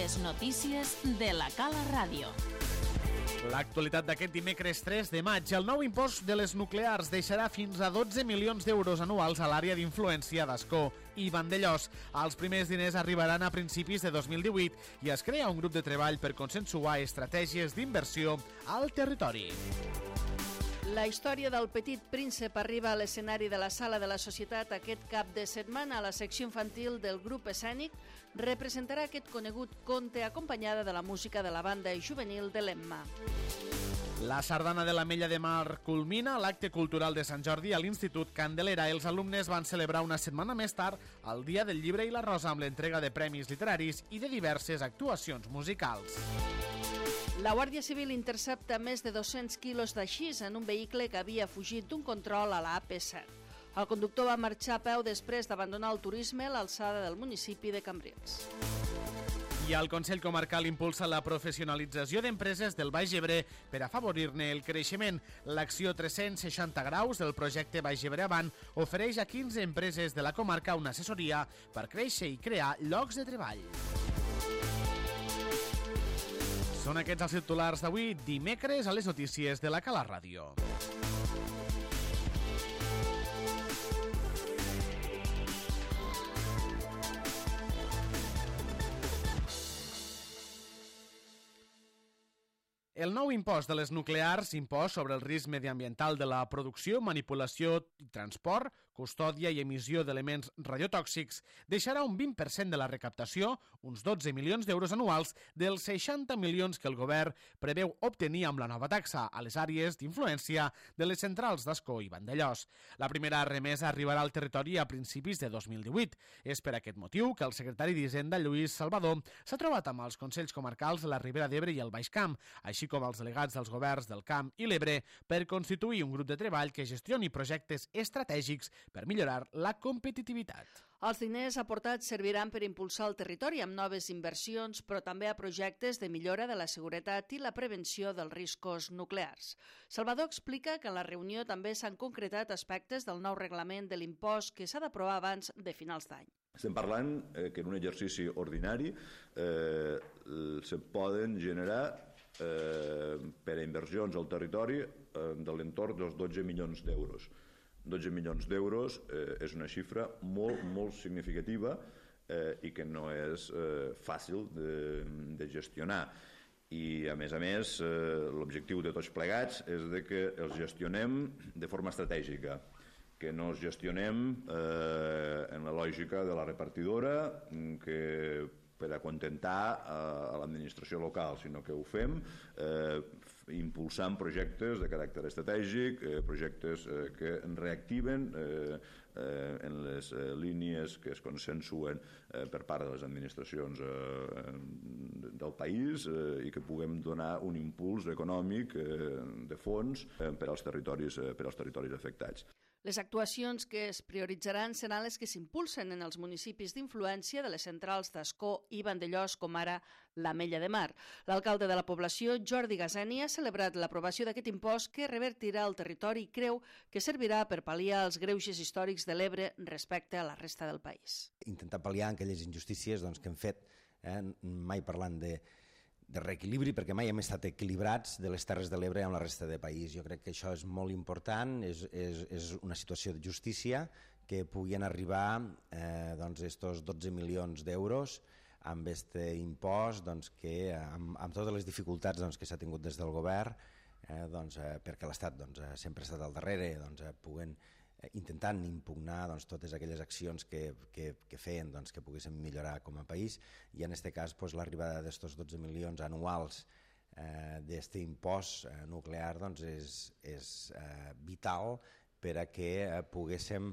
Les notícies de la Cala Ràdio. L'actualitat d'aquest dimecres 3 de maig. El nou impost de les nuclears deixarà fins a 12 milions d'euros anuals a l'àrea d'influència d'Ascó i Vandellòs. Els primers diners arribaran a principis de 2018 i es crea un grup de treball per consensuar estratègies d'inversió al territori. La història del Petit Príncep arriba a l'escenari de la Sala de la Societat aquest cap de setmana. La secció infantil del grup escènic representarà aquest conegut conte acompanyada de la música de la banda juvenil de l'Emma. La sardana de l'Ametlla de Mar culmina l'acte cultural de Sant Jordi a l'Institut Candelera. Els alumnes van celebrar una setmana més tard el Dia del Llibre i la Rosa amb l'entrega de premis literaris i de diverses actuacions musicals. La Guàrdia Civil intercepta més de 200 quilos d'haixís en un vehicle que havia fugit d'un control a la AP7. El conductor va marxar a peu després d'abandonar el turisme a l'alçada del municipi de Cambrils. I el Consell Comarcal impulsa la professionalització d'empreses del Baix Ebre per afavorir-ne el creixement. L'acció 360 graus del projecte Baix Ebre Avant ofereix a 15 empreses de la comarca una assessoria per créixer i crear llocs de treball. Són aquests els titulars d'avui, dimecres, a les notícies de la Cala Ràdio. El nou impost de les nuclears, impost sobre el risc mediambiental de la producció, manipulació i transport, custòdia i emissió d'elements radiotòxics, deixarà un 20% de la recaptació, uns 12 milions d'euros anuals, dels 60 milions que el govern preveu obtenir amb la nova taxa a les àrees d'influència de les centrals d'Ascó i Vandellòs. La primera remesa arribarà al territori a principis de 2018. És per aquest motiu que el secretari d'Hisenda, Lluís Salvador, s'ha trobat amb els Consells Comarcals de la Ribera d'Ebre i el Baix Camp, així com els delegats dels governs del Camp i l'Ebre, per constituir un grup de treball que gestioni projectes estratègics per millorar la competitivitat. Els diners aportats serviran per impulsar el territori amb noves inversions, però també a projectes de millora de la seguretat i la prevenció dels riscos nuclears. Salvador explica que en la reunió també s'han concretat aspectes del nou reglament de l'impost que s'ha d'aprovar abans de finals d'any. Estem parlant que en un exercici ordinari se poden generar per a inversions al territori de l'entorn dels 12 milions d'euros. 12 milions d'euros és una xifra molt significativa i que no és fàcil de gestionar. I, a més, l'objectiu de tots plegats és que els gestionem de forma estratègica, que no els gestionem en la lògica de la repartidora, que per acontentar a l'administració local, sinó que ho fem impulsant projectes de caràcter estratègic, projectes que reactiven en les línies que es consensuen per part de les administracions del país i que puguem donar un impuls econòmic de fons per als territoris afectats. Les actuacions que es prioritzaran seran les que s'impulsen en els municipis d'influència de les centrals d'Ascó i Vandellòs, com ara l'Ametlla de Mar. L'alcalde de la població, Jordi Gaseni, ha celebrat l'aprovació d'aquest impost que revertirà al territori i creu que servirà per pal·liar els greuges històrics de l'Ebre respecte a la resta del país. Intentar pal·liar aquelles injustícies que hem fet, mai parlant de reequilibri, perquè mai hem estat equilibrats de les Terres de l'Ebre amb la resta del país. Jo crec que això és molt important, és una situació de justícia que puguin arribar estos 12 milions d'euros amb aquest impost que amb totes les dificultats que s'ha tingut des del govern, perquè l'Estat sempre ha estat al darrere, puguen intentant impugnar totes aquelles accions que feien que poguéssim millorar com a país, i en aquest cas l'arribada d'aquests 12 milions anuals d'aquest impost nuclear és vital per a que poguéssim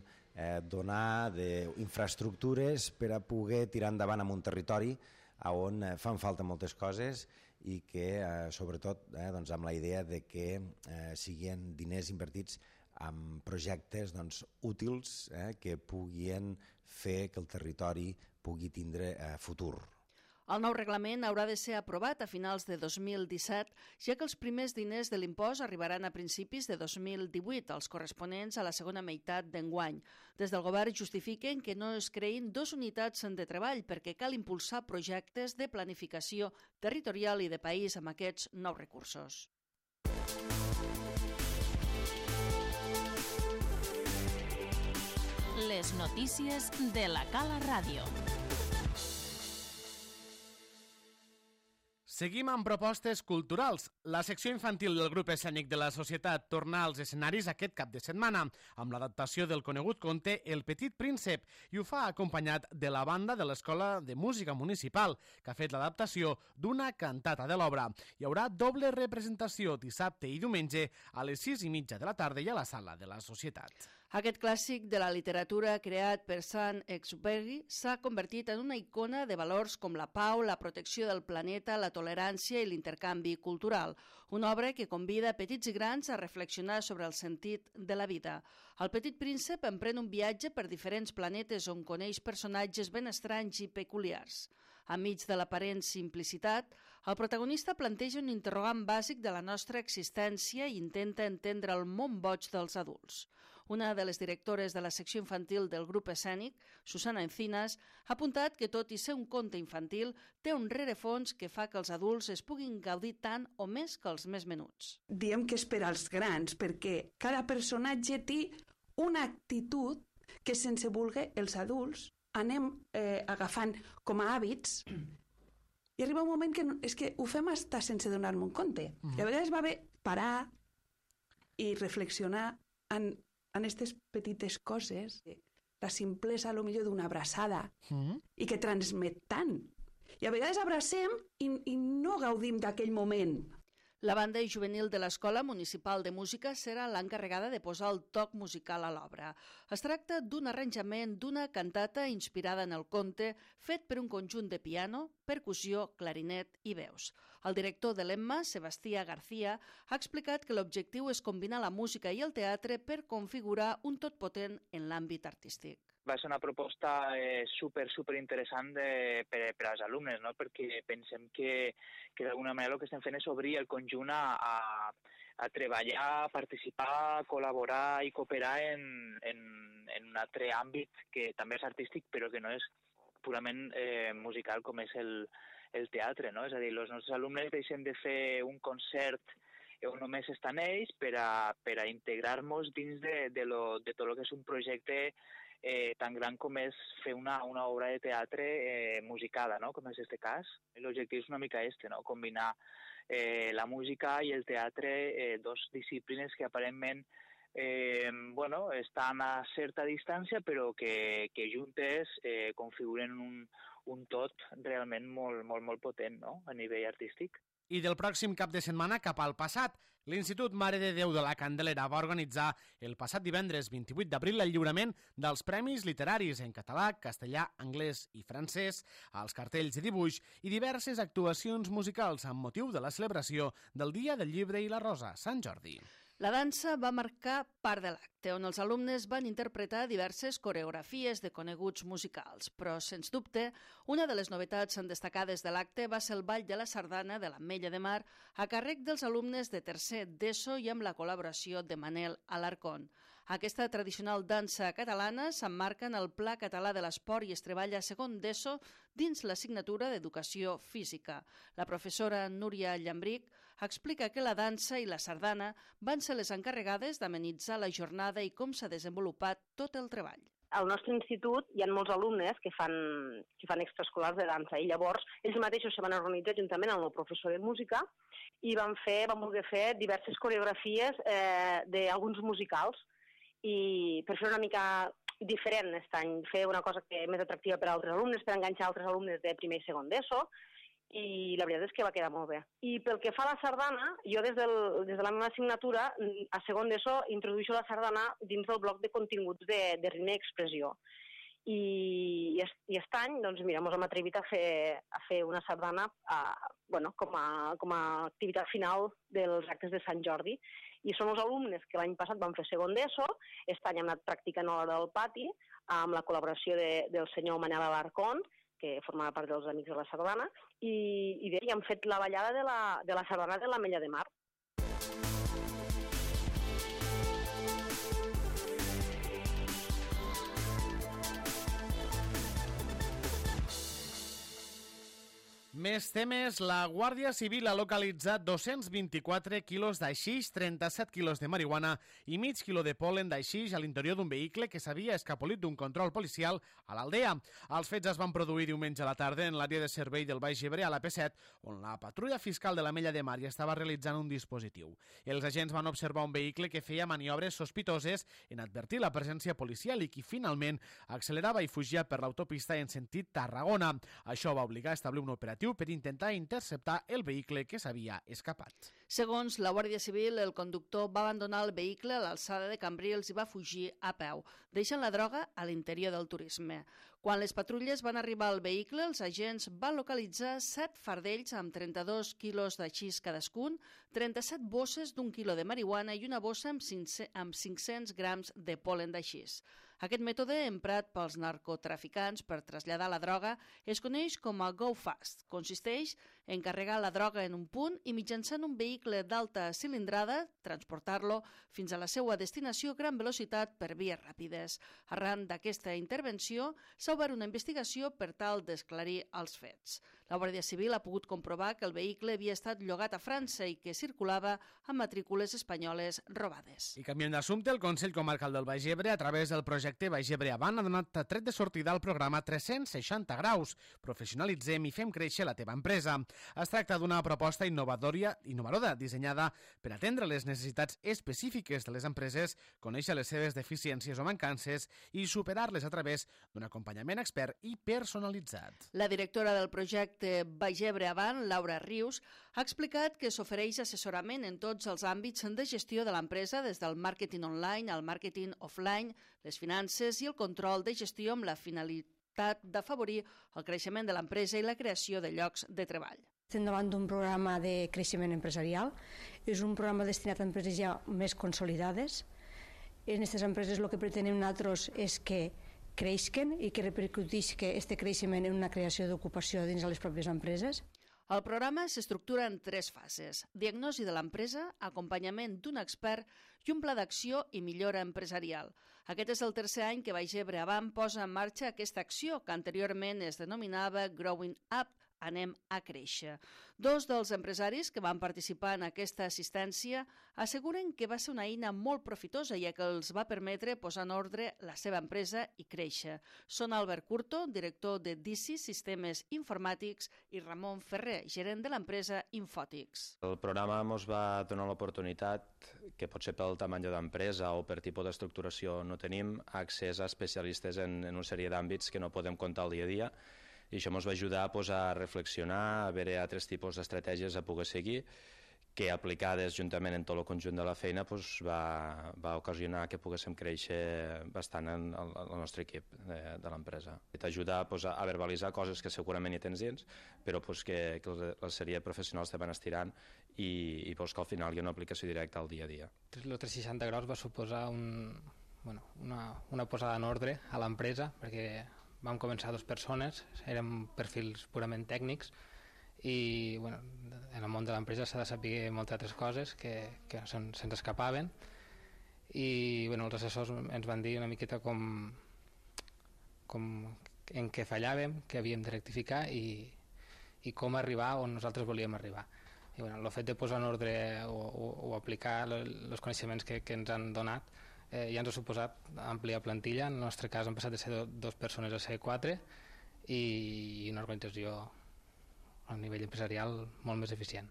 donar infraestructures per a poder tirar endavant en un territori on fan falta moltes coses i que sobretot amb la idea de que siguin diners invertits amb projectes útils que puguin fer que el territori pugui tindre futur. El nou reglament haurà de ser aprovat a finals de 2017, ja que els primers diners de l'impost arribaran a principis de 2018, els corresponents a la segona meitat d'enguany. Des del govern justifiquen que no es creïn 2 unitats de treball perquè cal impulsar projectes de planificació territorial i de país amb aquests nous recursos. Les notícies de la Cala Ràdio. Seguim amb propostes culturals. La secció infantil del grup escènic de la Societat torna als escenaris aquest cap de setmana amb l'adaptació del conegut conte El Petit Príncep i ho fa acompanyat de la banda de l'Escola de Música Municipal que ha fet l'adaptació d'una cantata de l'obra. Hi haurà doble representació dissabte i diumenge a les 6:30 de la tarda i a la sala de la Societat. Aquest clàssic de la literatura creat per Saint-Exupéry s'ha convertit en una icona de valors com la pau, la protecció del planeta, la tolerància i l'intercanvi cultural. Una obra que convida petits i grans a reflexionar sobre el sentit de la vida. El Petit Príncep emprèn un viatge per diferents planetes on coneix personatges ben estranys i peculiars. Enmig de l'aparent simplicitat, el protagonista planteja un interrogant bàsic de la nostra existència i intenta entendre el món boig dels adults. Una de les directores de la secció infantil del grup escènic, Susana Encinas, ha apuntat que tot i ser un conte infantil, té un rerefons que fa que els adults es puguin gaudir tant o més que els més menuts. Diem que és per als grans, perquè cada personatge té una actitud que sense voler els adults anem agafant com a hàbits i arriba un moment que és que ho fem estar sense donar-me un compte. I a vegades va bé parar i reflexionar en aquestes petites coses, la simplesa potser d'una abraçada i que transmet tant. I a vegades abracem i no gaudim d'aquell moment. La banda juvenil de l'Escola Municipal de Música serà l'encarregada de posar el toc musical a l'obra. Es tracta d'un arranjament d'una cantata inspirada en el conte, fet per un conjunt de piano, percussió, clarinet i veus. El director de l'EMMA, Sebastià García, ha explicat que l'objectiu és combinar la música i el teatre per configurar un tot potent en l'àmbit artístic. Va ser una proposta super interessant per als alumnes, no? Perquè pensem que d'alguna manera el que estem fent és obrir el conjunt a treballar, participar, col·laborar i cooperar en un altre àmbit que també és artístic però que no és purament musical com és el teatre, no? És a dir, els nostres alumnes deixen de fer un concert on només estan ells per a integrar-nos dins de tot el que és un projecte tan gran com és fer una obra de teatre musicada, no? Com és aquest cas. L'objectiu és una mica no? Combinar la música i el teatre, dos disciplines que aparentment estan a certa distància però que juntes configuren un tot realment molt potent, no? A nivell artístic. I del pròxim cap de setmana cap al passat, l'Institut Mare de Déu de la Candelera va organitzar el passat divendres 28 d'abril el lliurament dels Premis Literaris en català, castellà, anglès i francès, als cartells de dibuix i diverses actuacions musicals amb motiu de la celebració del Dia del Llibre i la Rosa, Sant Jordi. La dansa va marcar part de l'acte, on els alumnes van interpretar diverses coreografies de coneguts musicals, però, sens dubte, una de les novetats destacades de l'acte va ser el ball de la sardana de l'Ametlla de Mar a càrrec dels alumnes de tercer d'ESO i amb la col·laboració de Manel Alarcón. Aquesta tradicional dansa catalana s'emmarca en el Pla Català de l'Esport i es treballa a segon d'ESO dins l'assignatura d'Educació Física. La professora Núria Llambric explica que la dansa i la sardana van ser les encarregades d'amenitzar la jornada i com s'ha desenvolupat tot el treball. Al nostre institut hi ha molts alumnes que fan extraescolars de dansa i llavors ells mateixos se van organitzar juntament amb el professor de música i van voler fer diverses coreografies d'alguns musicals i per fer una mica diferent aquest any, fer una cosa que més atractiva per a altres alumnes, per enganxar altres alumnes de primer i segon d'ESO, i la veritat és que va quedar molt bé. I pel que fa a la sardana, jo des de la meva assignatura, a segon d'ESO, introdueixo la sardana dins del bloc de continguts de ritme i expressió. I aquest any, doncs mira, ens hem atrevit a fer una sardana com a activitat final dels actes de Sant Jordi. I són els alumnes que l'any passat van fer segon d'ESO, aquest any hem anat practicant a l'hora del pati, amb la col·laboració del senyor Manel Alarcón, que formava part dels Amics de la Sardana, i bé, han fet la ballada de la Sardana de l'Ametlla de Mar. Més temes. La Guàrdia Civil ha localitzat 224 quilos d'aixix, 37 quilos de marihuana i mig quilo de polen d'aixix a l'interior d'un vehicle que s'havia escapolit d'un control policial a l'Aldea. Els fets es van produir diumenge a la tarda en l'àrea de servei del Baix Ebre a la P7, on la patrulla fiscal de l'Ametlla de Mar hi estava realitzant un dispositiu. Els agents van observar un vehicle que feia maniobres sospitoses en advertir la presència policial i que finalment accelerava i fugia per l'autopista en sentit Tarragona. Això va obligar a establir un operatiu per intentar interceptar el vehicle que s'havia escapat. Segons la Guàrdia Civil, el conductor va abandonar el vehicle a l'alçada de Cambrils i va fugir a peu, deixant la droga a l'interior del turisme. Quan les patrulles van arribar al vehicle, els agents van localitzar 7 fardells amb 32 quilos d'aixís cadascun, 37 bosses d'1 quilo de marihuana i una bossa amb 500 grams de polen d'aixís. Aquest mètode, emprat pels narcotraficants per traslladar la droga, es coneix com a Go Fast. Consisteix en carregar la droga en un punt i mitjançant un vehicle d'alta cilindrada, transportar-lo fins a la seva destinació a gran velocitat per vies ràpides. Arran d'aquesta intervenció, s'ha obert una investigació per tal d'esclarir els fets. La Guàrdia Civil ha pogut comprovar que el vehicle havia estat llogat a França i que circulava amb matrícules espanyoles robades. I canviant d'assumpte, el Consell Comarcal del Baix Ebre, a través del projecte Baix Ebre Avant, ha donat tret de sortida al programa 360 graus. Professionalitzem i fem créixer la teva empresa. Es tracta d'una proposta innovadora dissenyada per atendre les necessitats específiques de les empreses, conèixer les seves deficiències o mancances i superar-les a través d'un acompanyament expert i personalitzat. La directora del projecte Baix Ebre Avant, Laura Rius, ha explicat que s'ofereix assessorament en tots els àmbits de gestió de l'empresa, des del màrqueting online al màrqueting offline, les finances i el control de gestió amb la finalitat d'afavorir el creixement de l'empresa i la creació de llocs de treball. Estem davant d'un programa de creixement empresarial. És un programa destinat a empreses ja més consolidades. En aquestes empreses el que pretenem nosaltres és que creixen i que repercutisca aquest creixement en una creació d'ocupació dins de les pròpies empreses. El programa s'estructura en 3 fases: diagnosi de l'empresa, acompanyament d'un expert i un pla d'acció i millora empresarial. Aquest és el tercer any que Baix Ebre Avant posa en marxa aquesta acció, que anteriorment es denominava Growing Up, Anem a créixer. 2 dels empresaris que van participar en aquesta assistència asseguren que va ser una eina molt profitosa, ja que els va permetre posar en ordre la seva empresa i créixer. Són Albert Curto, director de DICI Sistemes Informàtics, i Ramon Ferrer, gerent de l'empresa Infòtics. El programa ens va donar l'oportunitat, que potser pel tamany de l'empresa o per tipus d'estructuració no tenim, accés a especialistes en una sèrie d'àmbits que no podem comptar al dia a dia, i això ens va ajudar a reflexionar, a veure altres tipus d'estratègies a poder seguir, que aplicades juntament en tot el conjunt de la feina va ocasionar que poguéssim créixer bastant en el nostre equip de l'empresa. T'ajuda a verbalitzar coses que segurament hi tens dins, però que la sèrie de professionals te van estirant i que al final hi ha una aplicació directa al dia a dia. El 360 graus va suposar una posada en ordre a l'empresa, perquè vam començar 2 persones, érem perfils purament tècnics i en el món de l'empresa s'ha de saber moltes altres coses que se'ns escapaven i els assessors ens van dir una miqueta com en què fallàvem, què havíem de rectificar i com arribar on nosaltres volíem arribar. I el fet de posar en ordre o aplicar els coneixements que ens han donat ja ens ha suposat ampliar plantilla. En el nostre cas hem passat de ser 2 persones a ser 4 i una organització a nivell empresarial molt més eficient.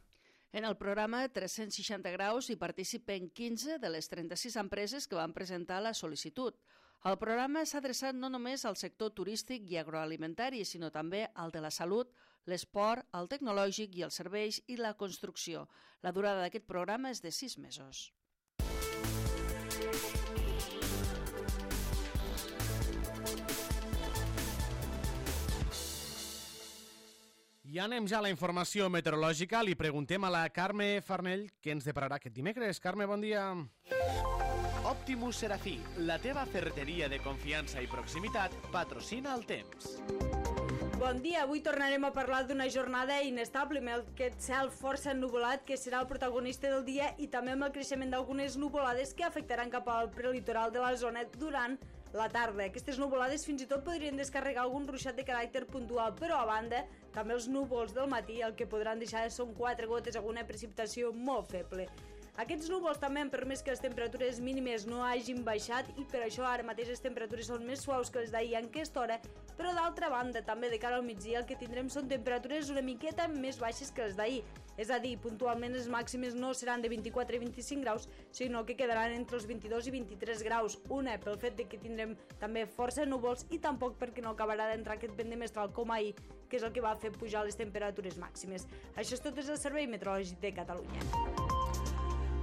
En el programa 360 graus hi participen 15 de les 36 empreses que van presentar la sol·licitud. El programa s'ha adreçat no només al sector turístic i agroalimentari, sinó també al de la salut, l'esport, el tecnològic i els serveis i la construcció. La durada d'aquest programa és de 6 mesos. I anem ja a la informació meteorològica. Li preguntem a la Carme Farnell què ens depararà aquest dimecres. Carme, bon dia. Optimus Serafí, la teva ferreteria de confiança i proximitat, patrocina el temps. Bon dia, avui tornarem a parlar d'una jornada inestable amb aquest cel força ennuvolat que serà el protagonista del dia i també amb el creixement d'algunes nuvolades que afectaran cap al prelitoral de la zona durant la tarda. Aquestes nuvolades fins i tot podrien descarregar algun ruixat de caràcter puntual, però a banda, també els núvols del matí el que podran deixar són 4 gotes, alguna precipitació molt feble. Aquests núvols també han permès que les temperatures mínimes no hagin baixat i per això ara mateix les temperatures són més suaus que les d'ahir en aquesta hora, però d'altra banda també de cara al migdia el que tindrem són temperatures una miqueta més baixes que les d'ahir. És a dir, puntualment les màximes no seran de 24 i 25 graus, sinó que quedaran entre els 22 i 23 graus. Una pel fet de que tindrem també força núvols i tampoc perquè no acabarà d'entrar aquest vent de mestral com ahir, que és el que va fer pujar les temperatures màximes. Això és tot des del Servei Meteorològic de Catalunya.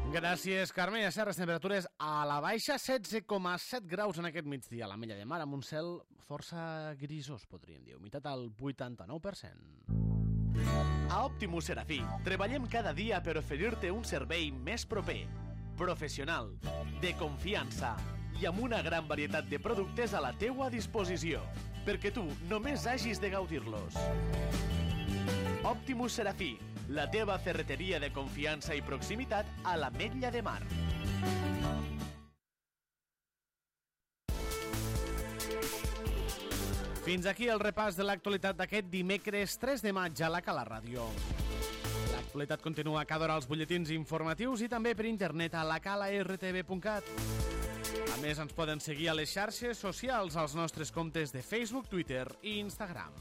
Gràcies, Carme. A Serres, temperatures a la baixa, 16,7 graus en aquest migdia a l'Ametlla de Mar, amb un cel força grisós, podríem dir, humitat al 89%. A Optimus Serafí treballem cada dia per oferir-te un servei més proper, professional, de confiança i amb una gran varietat de productes a la teua disposició, perquè tu només hagis de gaudir-los. Optimus Serafí, la teva ferreteria de confiança i proximitat a l'Ametlla de Mar. Fins aquí el repàs de l'actualitat d'aquest dimecres 3 de maig a la Cala Ràdio. L'actualitat continua cada hora als butlletins informatius i també per internet a lacalartv.cat. A més, ens poden seguir a les xarxes socials als nostres comptes de Facebook, Twitter i Instagram.